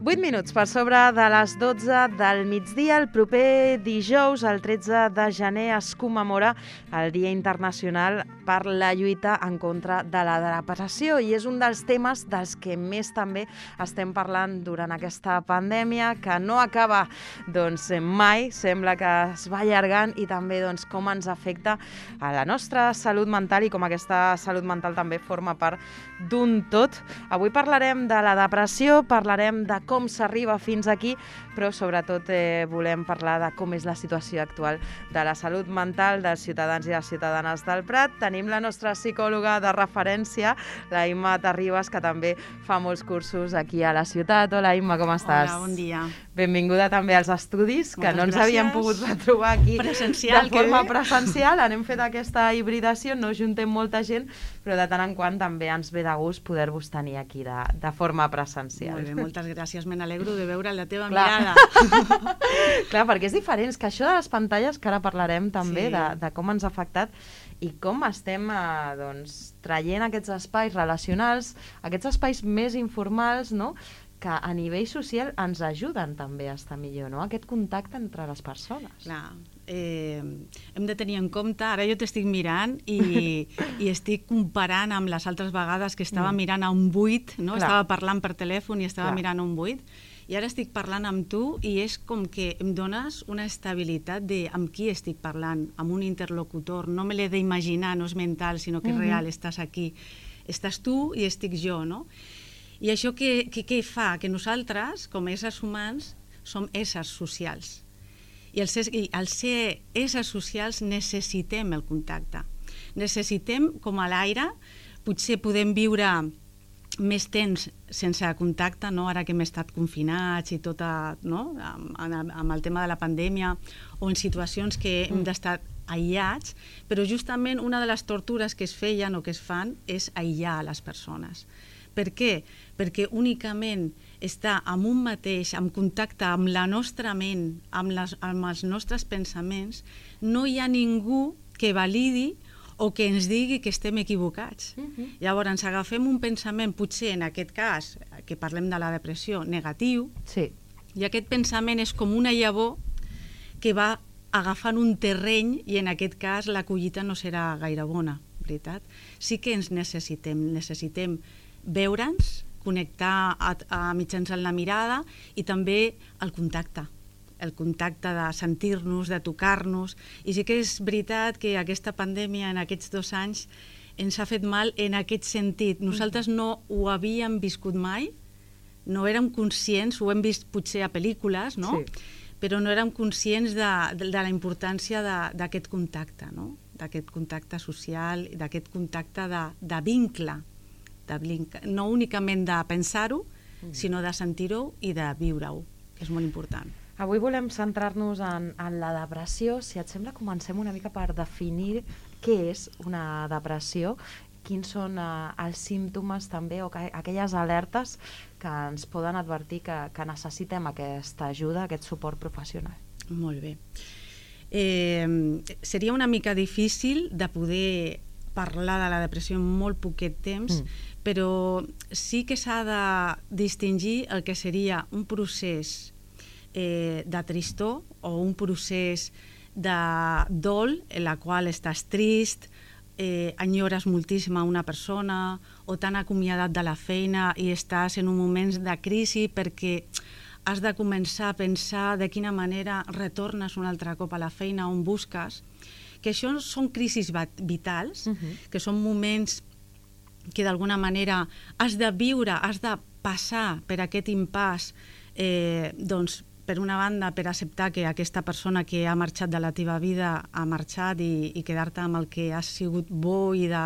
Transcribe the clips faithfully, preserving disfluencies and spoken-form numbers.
vuit minuts per sobre de les dotze del migdia. El proper dijous, el tretze de gener, es commemora el Dia Internacional per la lluita en contra de la depressió i és un dels temes dels que més també estem parlant durant aquesta pandèmia, que no acaba doncs, mai, sembla que es va allargant, i també doncs, com ens afecta a la nostra salut mental i com aquesta salut mental també forma part d'un tot. Avui parlarem de la depressió, parlarem de com s'arriba fins aquí, però sobretot eh, volem parlar de com és la situació actual de la salut mental dels ciutadans i les ciutadanes del Prat. Tenim la nostra psicòloga de referència, la Imma Terribas, que també fa molts cursos aquí a la ciutat. Hola, Imma, com estàs? Hola, bon dia. Benvinguda també als estudis, que Moltes no ens gràcies. havíem pogut retrobar aquí presencial, de forma presencial. Anem fet aquesta hibridació, no juntem molta gent, però de tant en quant també ens ve de gust poder-vos tenir aquí de, de forma presencial. Molt bé, moltes gràcies. Me n'alegro de veure la teva Clar. mirada. Clar, perquè és diferent, és que això de les pantalles, que ara parlarem també Sí. de, de com ens ha afectat i com estem eh, doncs, traient aquests espais relacionals, aquests espais més informals, no?, que a nivell social ens ajuden també a estar millor, no?, aquest contacte entre les persones. Clar, eh, hem de tenir en compte, ara jo t'estic mirant i, i estic comparant amb les altres vegades que estava Mm. mirant a un buit, no? Clar. Estava parlant per telèfon i estava Clar. mirant a un buit, i ara estic parlant amb tu i és com que em dones una estabilitat de amb qui estic parlant, amb un interlocutor. No me l'he d'imaginar, no és mental, sinó que és Mhm. real, estàs aquí. Estàs tu i estic jo, no? I això què, què, què fa? Que nosaltres, com a éssers humans, som éssers socials. I al ser, i al ser éssers socials necessitem el contacte. Necessitem, com a l'aire, potser podem viure més temps sense contacte, no? Ara que hem estat confinats i tot, a, no? amb, amb el tema de la pandèmia, o en situacions que hem d'estar aïllats, però justament una de les tortures que es feien o que es fan és aïllar les persones. Per què? Perquè únicament estar amb un mateix, en contacte amb la nostra ment, amb, les, amb els nostres pensaments, no hi ha ningú que validi o que ens digui que estem equivocats. Mhm. Llavors, agafem un pensament, potser en aquest cas, que parlem de la depressió, negatiu, Sí. i aquest pensament és com una llavor que va agafant un terreny i en aquest cas la collita no serà gaire bona, veritat? Sí que ens necessitem, necessitem veure'ns, connectar a, a mitjançant la mirada i també el contacte, el contacte de sentir-nos, de tocar-nos. I sí que és veritat que aquesta pandèmia en aquests dos anys ens ha fet mal en aquest sentit. Nosaltres no ho havíem viscut mai, no érem conscients, ho hem vist potser a pel·lícules, no? Sí. Però no érem conscients de, de, de la importància d'aquest contacte, no? D'aquest contacte social, d'aquest contacte de, de vincle, de vincle, no únicament de pensar-ho, mm. sinó de sentir-ho i de viure-ho, que és molt important. Avui volem centrar-nos en, en la depressió. Si et sembla, comencem una mica per definir què és una depressió, quins són eh, els símptomes també o que, aquelles alertes que ens poden advertir que, que necessitem aquesta ajuda, aquest suport professional. Molt bé. Eh, seria una mica difícil de poder parlar de la depressió en molt poquet temps, mm. però sí que s'ha de distingir el que seria un procés eh, de tristor o un procés de dol en la qual estàs trist, eh, enyores moltíssim a una persona o t'han acomiadat de la feina i estàs en un moment de crisi perquè has de començar a pensar de quina manera retornes un altre cop a la feina on busques, que això són crisis vitals, uh-huh. que són moments que d'alguna manera has de viure, has de passar per aquest impàs, eh, doncs, per una banda, per acceptar que aquesta persona que ha marxat de la teva vida ha marxat i, i quedar-te amb el que has sigut bo i de,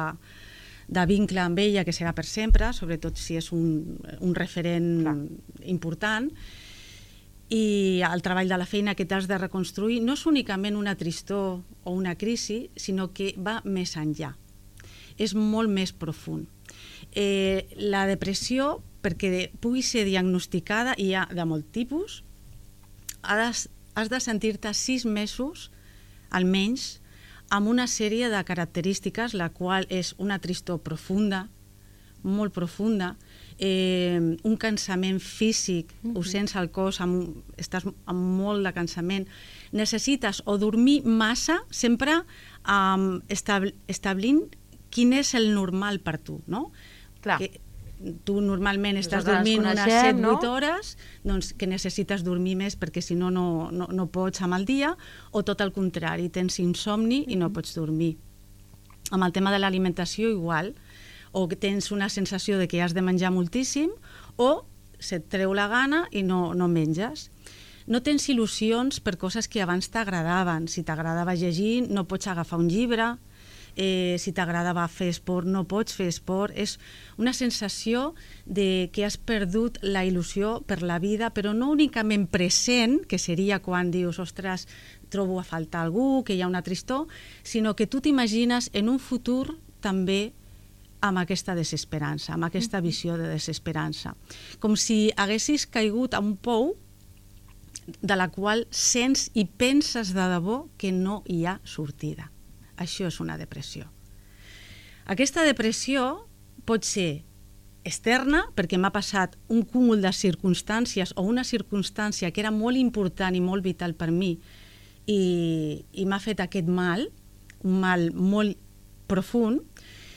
de vincle amb ella, que serà per sempre, sobretot si és un, un referent Clar. important, i el treball de la feina que t'has de reconstruir no és únicament una tristor o una crisi, sinó que va més enllà. És molt més profund. Eh, la depressió, perquè pugui ser diagnosticada, i hi ha de molt tipus, has, has de sentir-te sis mesos, almenys, amb una sèrie de característiques, la qual és una tristor profunda, molt profunda, eh, un cansament físic, uh -huh. ho sents al cos, amb, estàs amb molt de cansament, necessites o dormir massa, sempre um, estab establint quin és el normal per tu, no? Clar. Que tu normalment estàs Nosaltres dormint unes coneixem, set no? vuit hores, doncs que necessites dormir més perquè si no, no, no, no pots amb el dia, o tot el contrari, tens insomni i no pots dormir. Amb el tema de l'alimentació igual, o que tens una sensació de que has de menjar moltíssim, o se't treu la gana i no, no menges. No tens il·lusions per coses que abans t'agradaven. Si t'agradava llegir, no pots agafar un llibre. Eh, si t'agradava fer esport, no pots fer esport. És una sensació de que has perdut la il·lusió per la vida, però no únicament present, que seria quan dius, ostres, trobo a faltar algú, que hi ha una tristor, sinó que tu t'imagines en un futur també amb aquesta desesperança, amb aquesta visió de desesperança. Com si haguessis caigut a un pou de la qual sents i penses de debò que no hi ha sortida. Això és una depressió. Aquesta depressió pot ser externa, perquè m'ha passat un cúmul de circumstàncies o una circumstància que era molt important i molt vital per mi i, i m'ha fet aquest mal, un mal molt profund,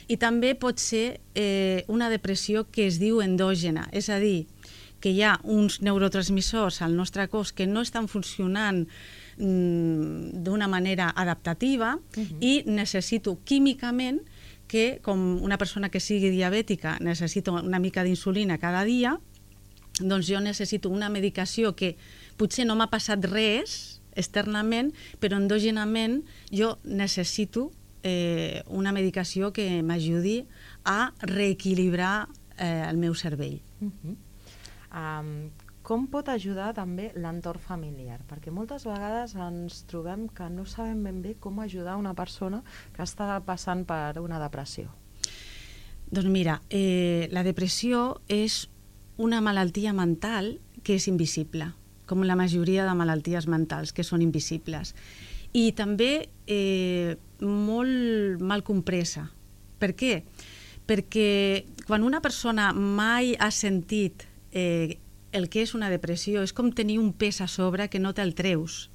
i també pot ser eh, una depressió que es diu endògena, és a dir, que hi ha uns neurotransmissors al nostre cos que no estan funcionant mm, d'una manera adaptativa uh-huh. i necessito químicament que, com una persona que sigui diabètica necessita una mica d'insulina cada dia, doncs jo necessito una medicació que potser no m'ha passat res externament, però endògenament jo necessito eh, una medicació que m'ajudi a reequilibrar eh, el meu cervell. Uh-huh. Um, com pot ajudar també l'entorn familiar? Perquè moltes vegades ens trobem que no sabem ben bé com ajudar una persona que està passant per una depressió. Doncs mira, eh, la depressió és una malaltia mental que és invisible, com la majoria de malalties mentals que són invisibles. I també eh, molt mal compresa. Per què? Perquè quan una persona mai ha sentit Eh, el que és una depressió és com tenir un pes a sobre que no te'l treus.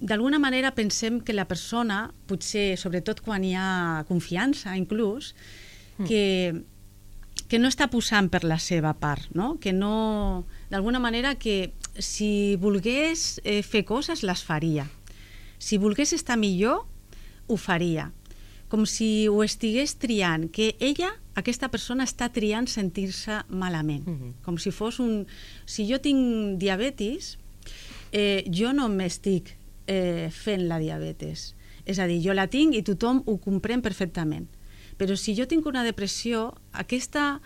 D'alguna manera pensem que la persona, potser sobretot quan hi ha confiança inclús, mm. que, que no està posant per la seva part, no? Que no, d'alguna manera que si volgués eh, fer coses les faria. Si volgués estar millor, ho faria. Com si ho estigués triant, que ella, aquesta persona, està triant sentir-se malament. Uh-huh. Com si fos un... Si jo tinc diabetis, eh, jo no m'estic eh, fent la diabetes. És a dir, jo la tinc i tothom ho comprèn perfectament. Però si jo tinc una depressió, aquesta...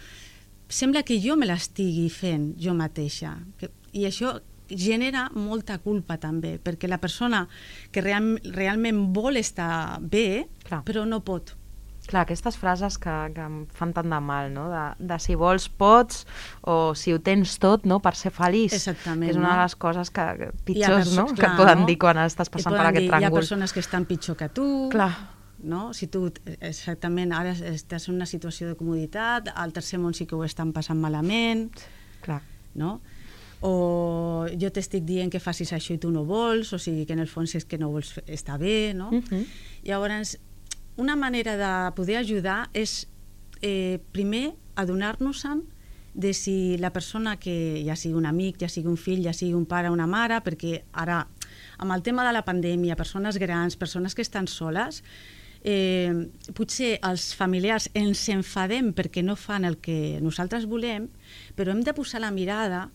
Sembla que jo me l'estigui fent jo mateixa. Que, I això genera molta culpa també, perquè la persona que real, realment vol estar bé, clar, però no pot. Clar, aquestes frases que, que em fan tant de mal, no? De, de si vols pots, o si ho tens tot, no? Per ser feliç. Exactament. És una de les coses que, pitjors, no? Clar, que et poden no? dir quan estàs passant per aquest dir, tràngol. Hi ha persones que estan pitjor que tu. Clar. No? Si tu exactament ara estàs en una situació de comoditat, al tercer món sí que ho estan passant malament. Clar. No? O jo t'estic dient que facis això i tu no vols, o sigui que en el fons és que no vols estar bé, no? Uh-huh. Llavors, una manera de poder ajudar és eh, primer adonar-nos-en de si la persona que ja sigui un amic, ja sigui un fill, ja sigui un pare o una mare, perquè ara amb el tema de la pandèmia, persones grans, persones que estan soles, eh, potser els familiars ens enfadem perquè no fan el que nosaltres volem, però hem de posar la mirada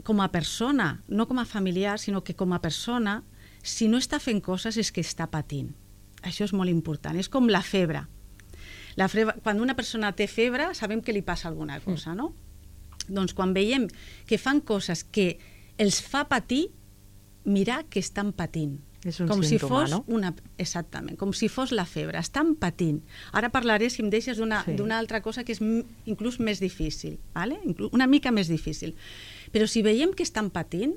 com a persona, no com a familiar, sinó que com a persona, si no està fent coses és que està patint. Això és molt important. És com la febre. La febre, quan una persona té febre, sabem que li passa alguna cosa, no? Mm. Doncs quan veiem que fan coses que els fa patir, mirar que estan patint. És un com símptoma, si fos no? Una, exactament, com si fos la febre. Estan patint. Ara parlaré, si em deixes, d'una sí. d'una altra cosa que és inclús més difícil, ¿vale? Una mica més difícil. Però si veiem que estan patint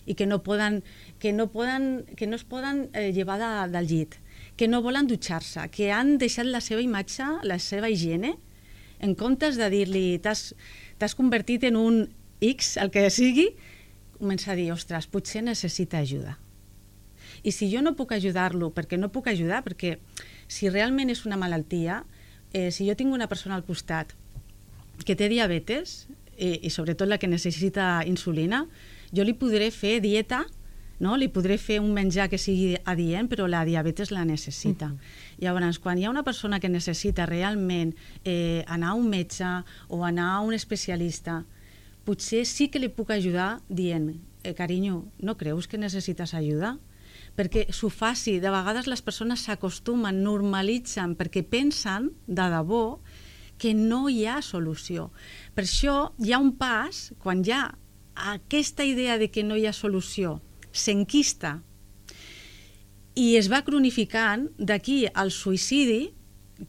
i que no poden, que no poden, que no es poden eh, llevar de, del llit, que no volen dutxar-se, que han deixat la seva imatge, la seva higiene, En comptes de dir-li t'has convertit en un X, el que sigui, comença a dir, ostres, potser necessita ajuda. I si jo no puc ajudar-lo, perquè no puc ajudar, perquè si realment és una malaltia, eh, si jo tinc una persona al costat que té diabetes, eh, i sobretot la que necessita insulina, jo li podré fer dieta, no? Li podré fer un menjar que sigui adient, però la diabetes la necessita. Mm-hmm. Llavors, quan hi ha una persona que necessita realment eh, anar a un metge o anar a un especialista, potser sí que li puc ajudar dient, eh, carinyo, no creus que necessites ajuda? Perquè s'ho faci. De vegades les persones s'acostumen, normalitzen, perquè pensen de debò que no hi ha solució. Per això hi ha un pas, quan hi ha aquesta idea de que no hi ha solució, s'enquista i es va cronificant, d'aquí al suïcidi,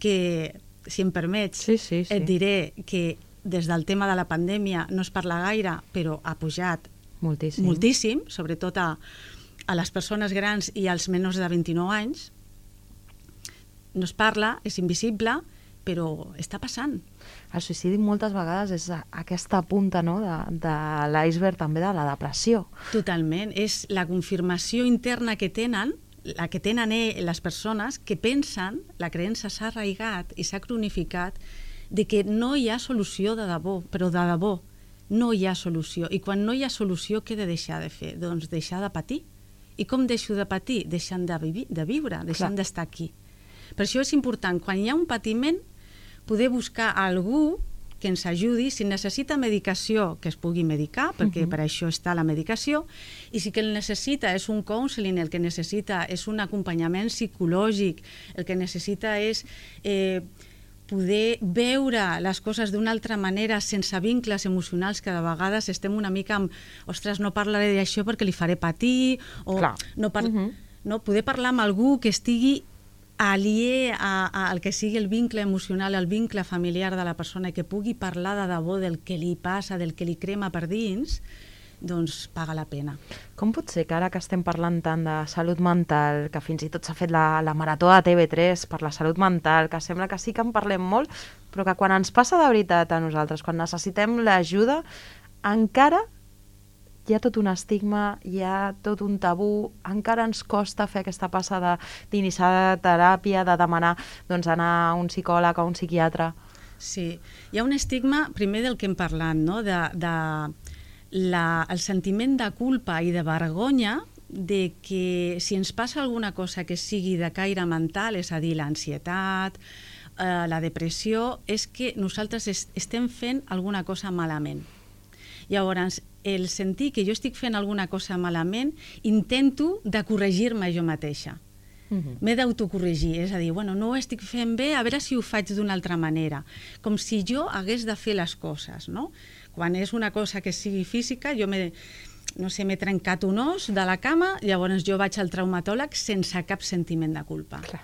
que, si em permets, sí, sí, sí. et diré que des del tema de la pandèmia no es parla gaire, però ha pujat moltíssim, moltíssim sobretot a, a les persones grans i als menors de vint-i-nou anys. No es parla, és invisible, però està passant. El suïcidi moltes vegades és aquesta punta, no?, de, de l'iceberg també de la depressió. Totalment. És la confirmació interna que tenen, la que tenen les persones que pensen, la creença s'ha arraigat i s'ha cronificat, de que no hi ha solució de debò, però de debò no hi ha solució. I quan no hi ha solució, què he de deixar de fer? Doncs deixar de patir. I com deixo de patir? Deixant de, vi de viure, deixant d'estar aquí. Per això és important, quan hi ha un patiment, poder buscar algú que ens ajudi, si necessita medicació, que es pugui medicar, perquè uh-huh. per això està la medicació, i si que el necessita és un counseling, el que necessita és un acompanyament psicològic, el que necessita és eh, poder veure les coses d'una altra manera, sense vincles emocionals, que de vegades estem una mica amb, ostres, no parlaré d'això perquè li faré patir, o no, par uh-huh. no poder parlar amb algú que estigui alié al que sigui el vincle emocional, el vincle familiar de la persona, i que pugui parlar de debò del que li passa, del que li crema per dins, doncs paga la pena. Com pot ser que ara que estem parlant tant de salut mental, que fins i tot s'ha fet la, la marató de T V tres per la salut mental, que sembla que sí que en parlem molt, però que quan ens passa de veritat a nosaltres, quan necessitem l'ajuda, encara hi ha tot un estigma, hi ha tot un tabú, encara ens costa fer aquesta passa d'iniciar teràpia, de demanar doncs, anar a un psicòleg o un psiquiatre. Sí, hi ha un estigma, primer del que hem parlat, no? de, de la, el sentiment de culpa i de vergonya de que si ens passa alguna cosa que sigui de caire mental, és a dir, l'ansietat, eh, la depressió, és que nosaltres est estem fent alguna cosa malament. Llavors, el sentir que jo estic fent alguna cosa malament, intento de corregir-me jo mateixa. Uh-huh. M'he d'autocorregir, és a dir, bueno, no ho estic fent bé, a veure si ho faig d'una altra manera. Com si jo hagués de fer les coses, no? Quan és una cosa que sigui física, jo m'he, no sé, m'he trencat un os de la cama, llavors jo vaig al traumatòleg sense cap sentiment de culpa. Clar.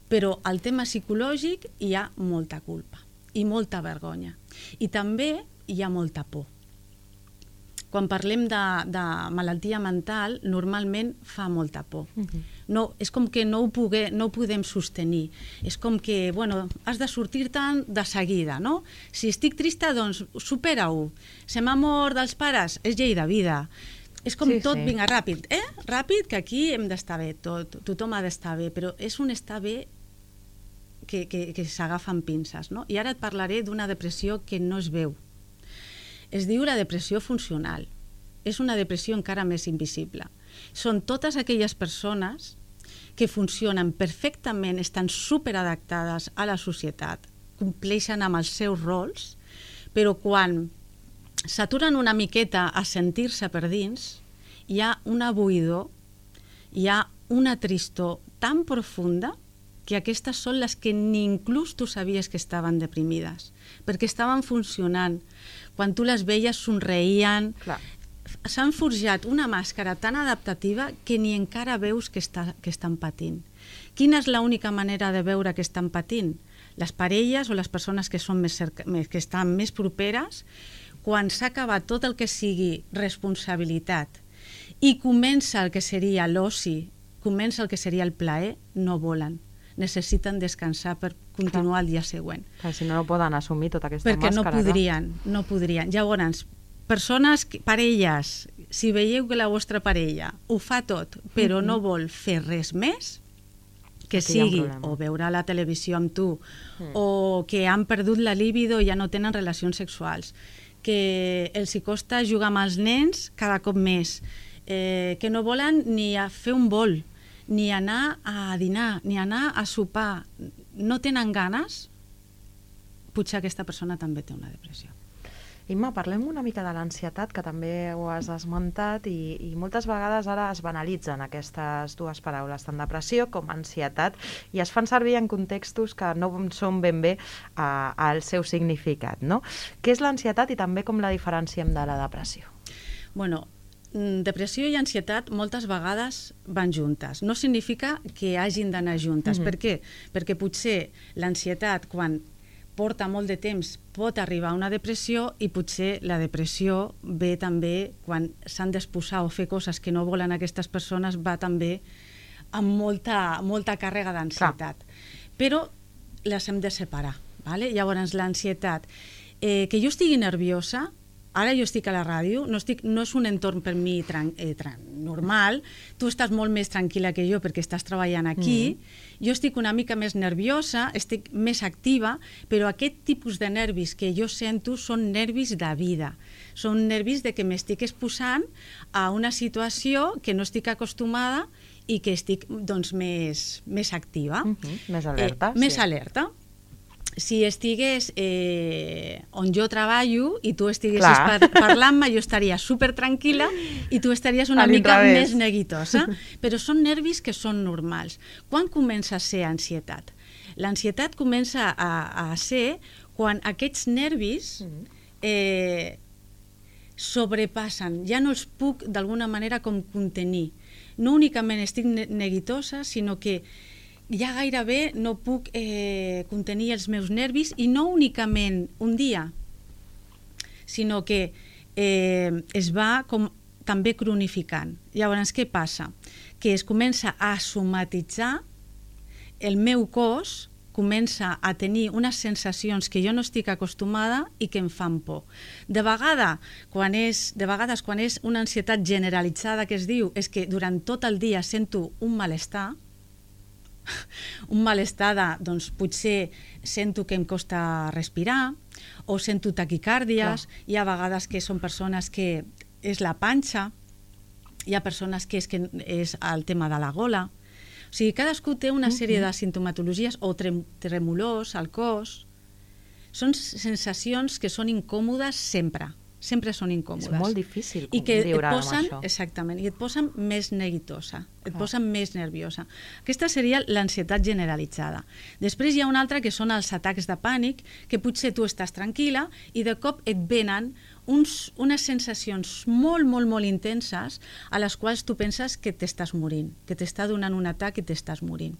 Però al tema psicològic hi ha molta culpa i molta vergonya. I també hi ha molta por. Quan parlem de, de malaltia mental, normalment fa molta por. Uh-huh. No, és com que no ho, pugue, no ho podem sostenir. És com que, bueno, has de sortir-te'n de seguida, no? Si estic trista, doncs supera-ho. Se m'ha mort dels pares, és llei de vida. És com sí, tot, sí. Vinga, ràpid, eh? Ràpid, que aquí hem d'estar bé, tot, tothom ha d'estar bé, però és un estar bé que, que, que s'agafa amb pinces, no? I ara et parlaré d'una depressió que no es veu. Es diu la depressió funcional. És una depressió encara més invisible. Són totes aquelles persones que funcionen perfectament, estan superadaptades a la societat, compleixen amb els seus rols, però quan s'aturen una miqueta a sentir-se per dins, hi ha una buidor, hi ha una tristor tan profunda que aquestes són les que ni inclús tu sabies que estaven deprimides, perquè estaven funcionant. Quan tu les veies somreien, s'han forjat una màscara tan adaptativa que ni encara veus que, està, que estan patint. Quina és l'única manera de veure que estan patint? Les parelles o les persones que, són més cerca, que estan més properes, quan s'ha acabat tot el que sigui responsabilitat i comença el que seria l'oci, comença el que seria el plaer, no volen. necessiten descansar per continuar el dia següent. Clar, si no, no poden assumir tota aquesta Perquè màscara. no podrien, no podrien. Llavors, persones, parelles, si veieu que la vostra parella ho fa tot, però no vol fer res més, que sigui o veure la televisió amb tu, o que han perdut la libido i ja no tenen relacions sexuals, que els hi costa jugar amb els nens cada cop més, eh, que no volen ni a fer un vol, ni anar a dinar, ni anar a sopar, no tenen ganes, potser aquesta persona també té una depressió. Imma, parlem una mica de l'ansietat, que també ho has esmentat, i, i moltes vegades ara es banalitzen aquestes dues paraules, tant depressió com ansietat, i es fan servir en contextos que no són ben bé uh, el seu significat, no? Què és l'ansietat i també com la diferenciem de la depressió? Bueno, depressió i ansietat moltes vegades van juntes. No significa que hagin d'anar juntes. Mm-hmm. Per què? Perquè potser l'ansietat, quan porta molt de temps, pot arribar a una depressió, i potser la depressió ve també quan s'han d'exposar o fer coses que no volen aquestes persones, va també amb molta, molta càrrega d'ansietat. Però les hem de separar. Vale? Llavors, l'ansietat, eh, que jo estigui nerviosa, ara jo estic a la ràdio, no, estic, no és un entorn per mi tran, eh, tran, normal, tu estàs molt més tranquil·la que jo perquè estàs treballant aquí, mm. jo estic una mica més nerviosa, estic més activa, però aquest tipus de nervis que jo sento són nervis de vida, són nervis de que m'estic exposant a una situació que no estic acostumada i que estic doncs, més, més activa. Mm-hmm. Més alerta. Eh, més sí. alerta. Si estigués eh, on jo treballo i tu estiguessis par parlant-me, jo estaria super tranquil·la i tu estaries una mica més neguitosa. Però són nervis que són normals. Quan comença a ser ansietat? L'ansietat comença a, a ser quan aquests nervis eh, sobrepassen. Ja no els puc d'alguna manera com contenir. No únicament estic neguitosa, sinó que ja gairebé no puc eh, contenir els meus nervis, i no únicament un dia, sinó que eh, es va com també cronificant. Llavors, què passa? Que es comença a somatitzar, el meu cos comença a tenir unes sensacions que jo no estic acostumada i que em fan por. De, vegada, quan és, de vegades, quan és una ansietat generalitzada que es diu, és que durant tot el dia sento un malestar, un malestar de, doncs potser sento que em costa respirar, o sento taquicàrdies. Clar. Hi ha vegades que són persones que és la panxa, hi ha persones que és, que és el tema de la gola. O sigui, cadascú té una sèrie de sintomatologies, o trem tremolors al cos. Són sensacions que són incòmodes sempre. Sempre són incòmodes. És molt difícil I que viure et posen, amb això. Exactament, i et posen més neguitosa, et ah. posen més nerviosa. Aquesta seria l'ansietat generalitzada. Després hi ha una altra que són els atacs de pànic, que potser tu estàs tranquil·la i de cop et venen uns, unes sensacions molt, molt, molt intenses a les quals tu penses que t'estàs morint, que t'està donant un atac i t'estàs morint.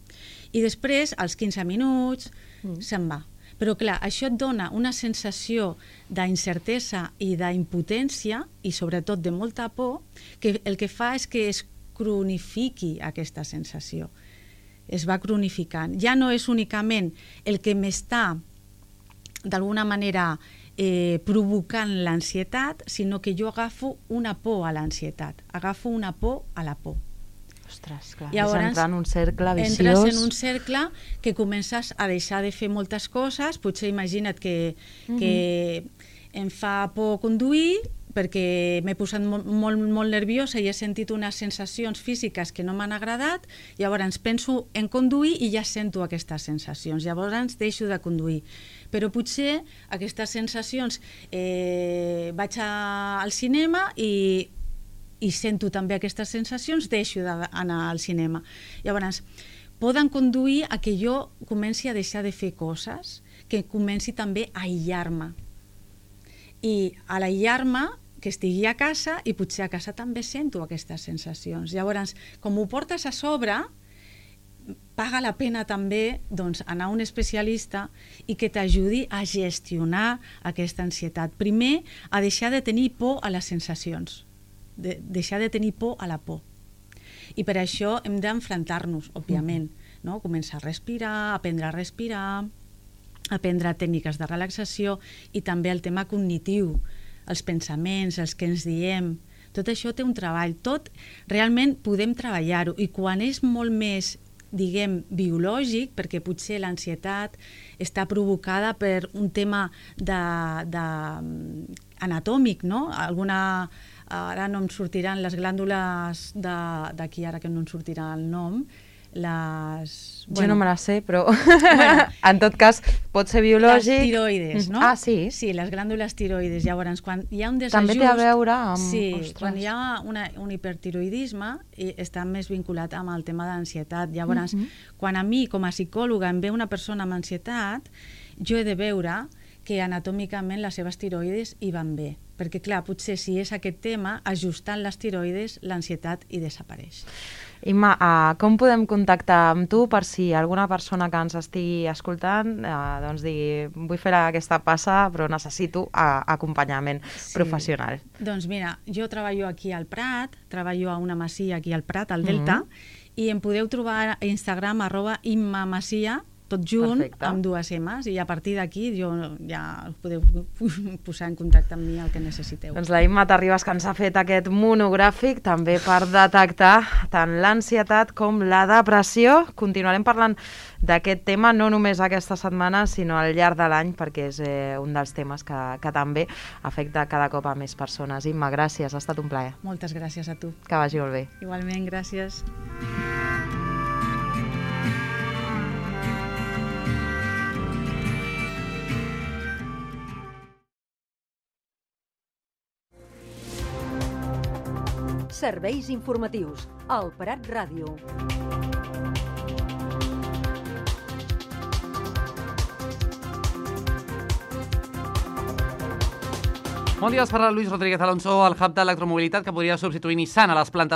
I després, als quinze minuts, mm. se'n va. Però clar, això et dona una sensació d'incertesa i d'impotència, i sobretot de molta por, que el que fa és que es cronifiqui aquesta sensació. Es va cronificant. Ja no és únicament el que m'està d'alguna manera eh, provocant l'ansietat, sinó que jo agafo una por a l'ansietat, agafo una por a la por. Ostres, clar, llavors, és entrar en un cercle viciós. Entres en un cercle que comences a deixar de fer moltes coses. Potser imagina't que, mm-hmm. que em fa por conduir perquè m'he posat molt, molt, molt nerviosa i he sentit unes sensacions físiques que no m'han agradat, llavors penso en conduir i ja sento aquestes sensacions, llavors deixo de conduir. Però potser aquestes sensacions eh, vaig a, al cinema i i sento també aquestes sensacions, deixo d'anar al cinema. Llavors, poden conduir a que jo comenci a deixar de fer coses, que comenci també a aïllar-me. I a l'aïllar-me, que estigui a casa, i potser a casa també sento aquestes sensacions. Llavors, com ho portes a sobre, paga la pena també doncs, anar a un especialista i que t'ajudi a gestionar aquesta ansietat. Primer, a deixar de tenir por a les sensacions. De deixar de tenir por a la por. I per això hem d'enfrontar-nos, òbviament. no? Començar a respirar, aprendre a respirar, aprendre tècniques de relaxació i també el tema cognitiu, els pensaments, els que ens diem. Tot això té un treball. Tot realment podem treballar-ho i quan és molt més, diguem, biològic, perquè potser l'ansietat està provocada per un tema de, de, anatòmic, no? Alguna, ara no em sortiran les glàndules d'aquí, ara que no em sortirà el nom, les... Jo bueno, no me la sé, però bueno, en tot cas pot ser biològic. Les tiroides, no? Ah, sí? Sí, les glàndules tiroides. Llavors, quan hi ha un desajust... També té a veure amb... Sí, Ostres. Quan hi ha una, un hipertiroidisme està més vinculat amb el tema d'ansietat. Llavors, uh -huh. quan a mi, com a psicòloga, em ve una persona amb ansietat, jo he de veure que anatòmicament les seves tiroides hi van bé. Perquè, clar, potser si és aquest tema, ajustant les tiroides, l'ansietat hi desapareix. Imma, uh, com podem contactar amb tu per si alguna persona que ens estigui escoltant uh, doncs digui, vull fer aquesta passa però necessito uh, acompanyament sí. professional? Doncs mira, jo treballo aquí al Prat, treballo a una masia aquí al Prat, al Delta, mm-hmm. i em podeu trobar a Instagram arroba Imma Masia, tot junt, Perfecte. Amb dues M's, i a partir d'aquí jo ja us podeu posar en contacte amb mi el que necessiteu. Doncs la Imma Terribas, que ens ha fet aquest monogràfic també per detectar tant l'ansietat com la depressió. Continuarem parlant d'aquest tema no només aquesta setmana, sinó al llarg de l'any, perquè és eh, un dels temes que, que també afecta cada cop a més persones. Imma, gràcies, ha estat un plaer. Moltes gràcies a tu. Que vagi molt bé. Igualment, gràcies. Serveis informatius, al Prat Ràdio. Bon dia, us parla Luis Rodríguez Alonso, el hub d'electromobilitat que podria substituir Nissan a les plantes